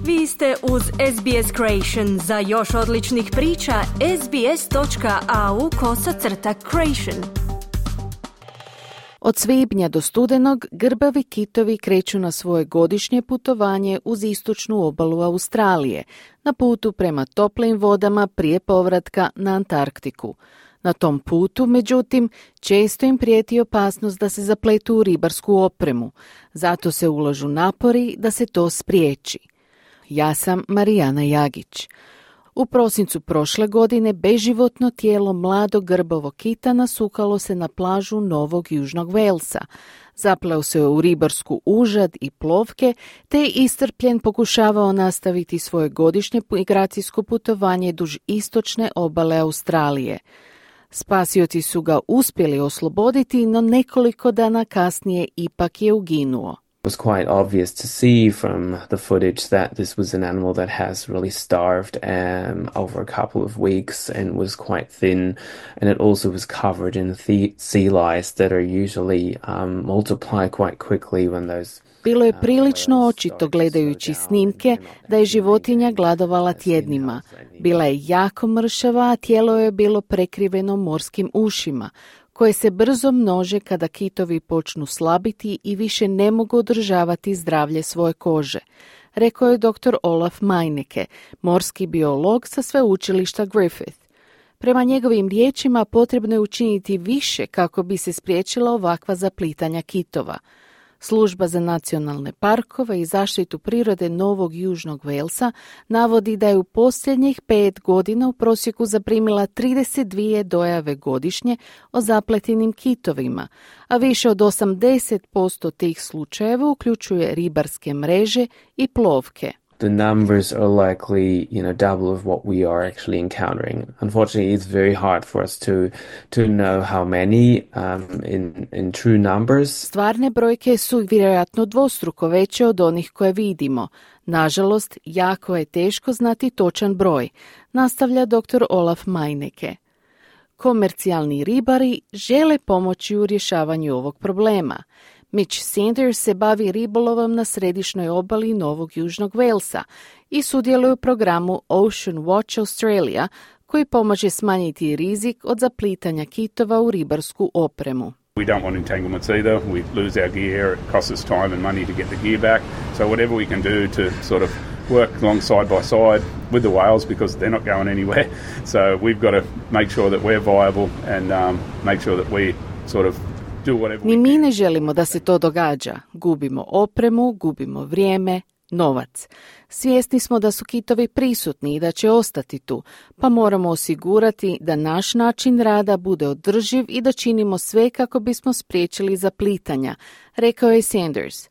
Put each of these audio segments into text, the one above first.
Vi ste uz SBS Creation. Za još odličnih priča, sbs.au/creation. Od svibnja do studenog grbavi kitovi kreću na svoje godišnje putovanje uz istočnu obalu Australije, na putu prema toplim vodama prije povratka na Antarktiku. Na tom putu, međutim, često im prijeti opasnost da se zapletu u ribarsku opremu, zato se ulažu napori da se to spriječi. Ja sam Marijana Jagić. U prosincu prošle godine beživotno tijelo mladog grbavog kita nasukalo se na plažu Novog Južnog Velsa. Zapleo se u ribarsku užad i plovke, te je iscrpljen pokušavao nastaviti svoje godišnje migracijsko putovanje duž istočne obale Australije. Spasioci su ga uspjeli osloboditi, no nekoliko dana kasnije ipak je uginuo. It was quite obvious to see from the footage that this was an animal that has really starved over a couple of weeks and was quite thin, and it also was covered in sea lice that are usually multiply quite quickly when those. Bilo je prilično očito gledajući snimke da je životinja gladovala tjednima. Bila je jako mršava, a tijelo je bilo prekriveno morskim ušima, koje se brzo množe kada kitovi počnu slabiti i više ne mogu održavati zdravlje svoje kože, rekao je dr. Olaf Meineke, morski biolog sa sveučilišta Griffith. Prema njegovim riječima potrebno je učiniti više kako bi se spriječila ovakva zaplitanja kitova. Služba za nacionalne parkove i zaštitu prirode Novog Južnog Velsa navodi da je u posljednjih 5 godina u prosjeku zaprimila 32 dojave godišnje o zapletenim kitovima, a više od 80% tih slučajeva uključuje ribarske mreže i plovke. The numbers are likely, double of what we are actually encountering. Unfortunately, it's very hard for us to know how many in true numbers. Stvarne brojke su vjerojatno dvostruko veće od onih koje vidimo. Nažalost, jako je teško znati točan broj, nastavlja dr. Olaf Meineke. Komercijalni ribari žele pomoći u rješavanju ovog problema. Mitch Sanders se bavi ribolovom na središnjoj obali Novog Južnog Velsa i sudjeluje u programu Ocean Watch Australia, koji pomaže smanjiti rizik od zaplitanja kitova u ribarsku opremu. We don't want entanglements either. We lose our gear, it costs us time and money to get the gear back. So whatever we can do to sort of work along side by side with the whales, because they're not going anywhere. So we've got to make sure that we're viable and make sure that we sort of. Ni mi ne želimo da se to događa. Gubimo opremu, gubimo vrijeme, novac. Svjesni smo da su kitovi prisutni i da će ostati tu, pa moramo osigurati da naš način rada bude održiv i da činimo sve kako bismo spriječili zaplitanja, rekao je Sanders.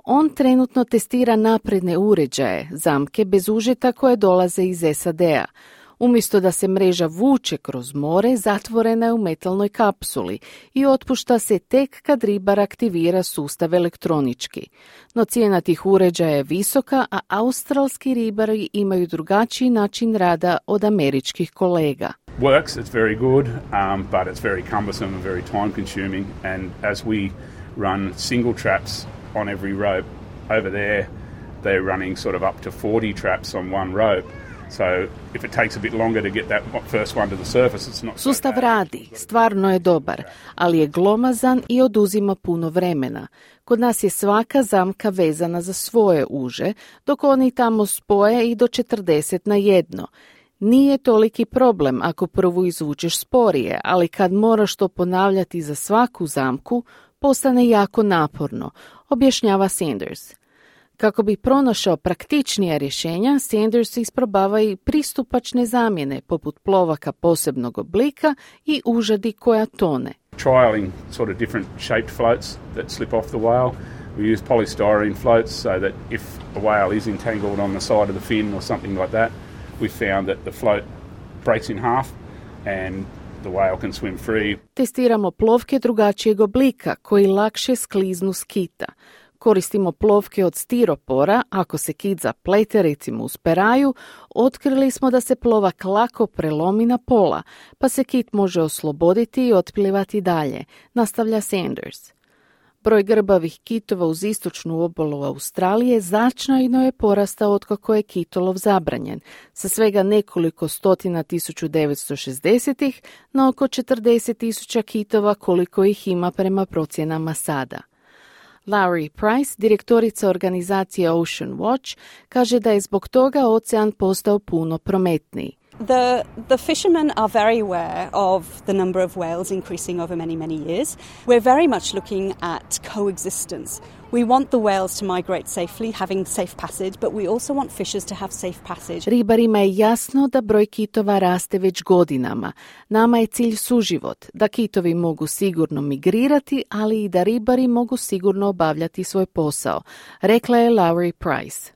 On trenutno testira napredne uređaje, zamke bez užeta koje dolaze iz SAD-a. Umjesto da se mreža vuče kroz more, zatvorena je u metalnoj kapsuli i otpušta se tek kad ribar aktivira sustav elektronički. No cijena tih uređaja je visoka, a australski ribari imaju drugačiji način rada od američkih kolega. Works, it's very good, but it's very cumbersome and very time consuming, and as we run single traps on every rope over there, they're running sort of up to 40 traps on one rope. So if it takes a bit longer to get that first one to the surface, it's not so Sustav bad. radi, stvarno je dobar, ali je glomazan i oduzima puno vremena. Kod nas je svaka zamka vezana za svoje uže, dok oni tamo spoje i do 40 na jedno. Nije toliki problem ako prvu izvučeš sporije, ali kad moraš to ponavljati za svaku zamku, postane jako naporno, objašnjava Sanders. Kako bi pronašao praktičnija rješenja, Sanders isprobava i pristupačne zamjene, poput plovaka posebnog oblika i užadi koja tone. Trialing sort of different shaped floats that slip off the whale. We use polystyrene floats so that if a whale is entangled on the side of the fin or something like that, we found that the float breaks in half and the whale can swim free. Testiramo plovke drugačijeg oblika koji lakše skliznu s kita. Koristimo plovke od stiropora, ako se kit zaplete recimo uz peraju, otkrili smo da se plovak lako prelomi na pola, pa se kit može osloboditi i otplivati dalje, nastavlja Sanders. Broj grbavih kitova uz istočnu obalu Australije značajno je porastao otkako je kitolov zabranjen, sa svega nekoliko stotina 1960-ih na oko 40.000 kitova koliko ih ima prema procjenama sada. Lowry Price, direktorica organizacije Ocean Watch, kaže da je zbog toga ocean postao puno prometniji. The fishermen are very aware of the number of whales increasing over many, many years. We're very much looking at coexistence. We want the whales to migrate safely, having safe passage, but we also want fishers to have safe passage. Ribarima je jasno da broj kitova raste već godinama. Nama je cilj suživot, da kitovi mogu sigurno migrirati, ali i da ribari mogu sigurno obavljati svoj posao, rekla je Lowry Price.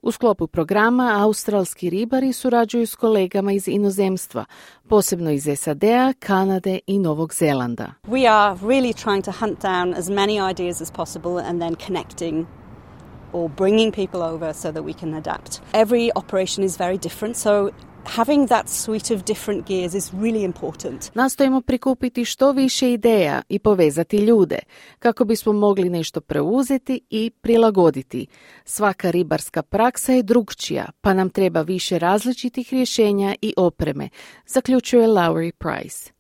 U sklopu programa australski ribari surađuju s kolegama iz inozemstva, posebno iz SAD-a, Kanade i Novog Zelanda. We are really trying to hunt down as many ideas as possible and then connecting or bringing people over so that we can adapt. Every operation is very different, so having that suite of different gears is really important. Nastojimo prikupiti što više ideja i povezati ljude, kako bismo mogli nešto preuzeti i prilagoditi. Svaka ribarska praksa je drukčija, pa nam treba više različitih rješenja i opreme, zaključuje Lowry Price.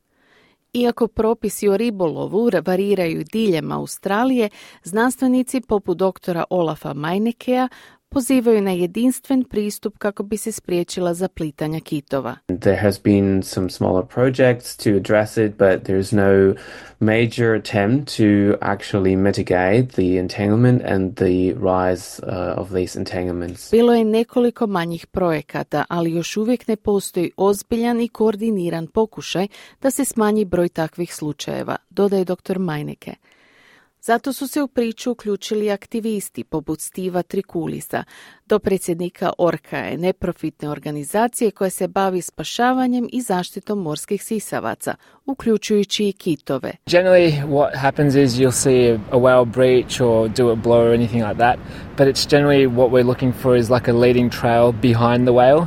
Iako propisi o ribolovu variraju diljem Australije, znanstvenici poput doktora Olafa Meinekea pozivaju na jedinstven pristup kako bi se spriječila zaplitanja kitova. There has been some smaller projects to address it, but there's no major attempt to actually mitigate the entanglement and the rise of these entanglements. Bilo je nekoliko manjih projekata, ali još uvijek ne postoji ozbiljan i koordiniran pokušaj da se smanji broj takvih slučajeva, dodaje dr. Meineke. Zato su se u priču uključili aktivisti poput Steva Trikulisa, dopredsjednika Orcae, neprofitne organizacije koja se bavi spašavanjem i zaštitom morskih sisavaca, uključujući i kitove. Generally what happens is you'll see a whale breach or do a blow or anything like that, but it's generally what we're looking for is like a leading trail behind the whale.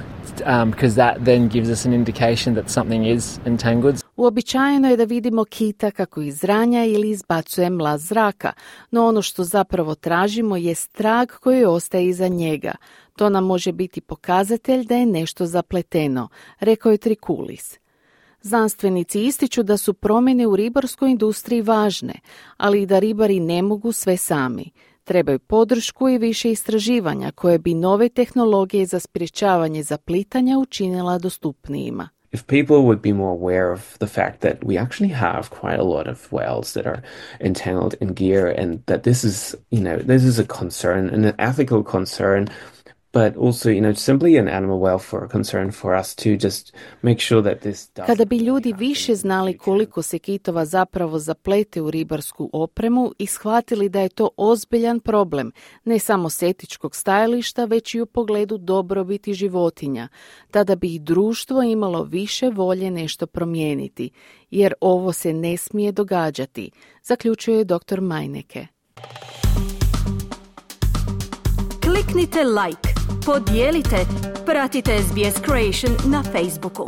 Because that then gives us an indication that something is entangled. Uobičajeno je da vidimo kita kako izranja ili izbacuje mlaz zraka, no ono što zapravo tražimo je trag koji ostaje iza njega. To nam može biti pokazatelj da je nešto zapleteno, rekao je Trikulis. Znanstvenici ističu da su promjene u ribarskoj industriji važne, ali i da ribari ne mogu sve sami. Trebaju podršku i više istraživanja koje bi nove tehnologije za sprječavanje zaplitanja učinila dostupnijima. If people would be more aware of the fact that we actually have quite a lot of whales that are entangled in gear and that this is a concern and an ethical concern, but also, simply an animal welfare concern for us to just make sure that this doesn't. Kada bi ljudi više znali koliko se kitova zapravo zaplete u ribarsku opremu i shvatili da je to ozbiljan problem, ne samo s etičkog stajališta, već i u pogledu dobrobiti životinja, tada bi i društvo imalo više volje nešto promijeniti, jer ovo se ne smije događati, zaključuje dr. Meineke. Kliknite like, podijelite, pratite SBS Creation na Facebooku.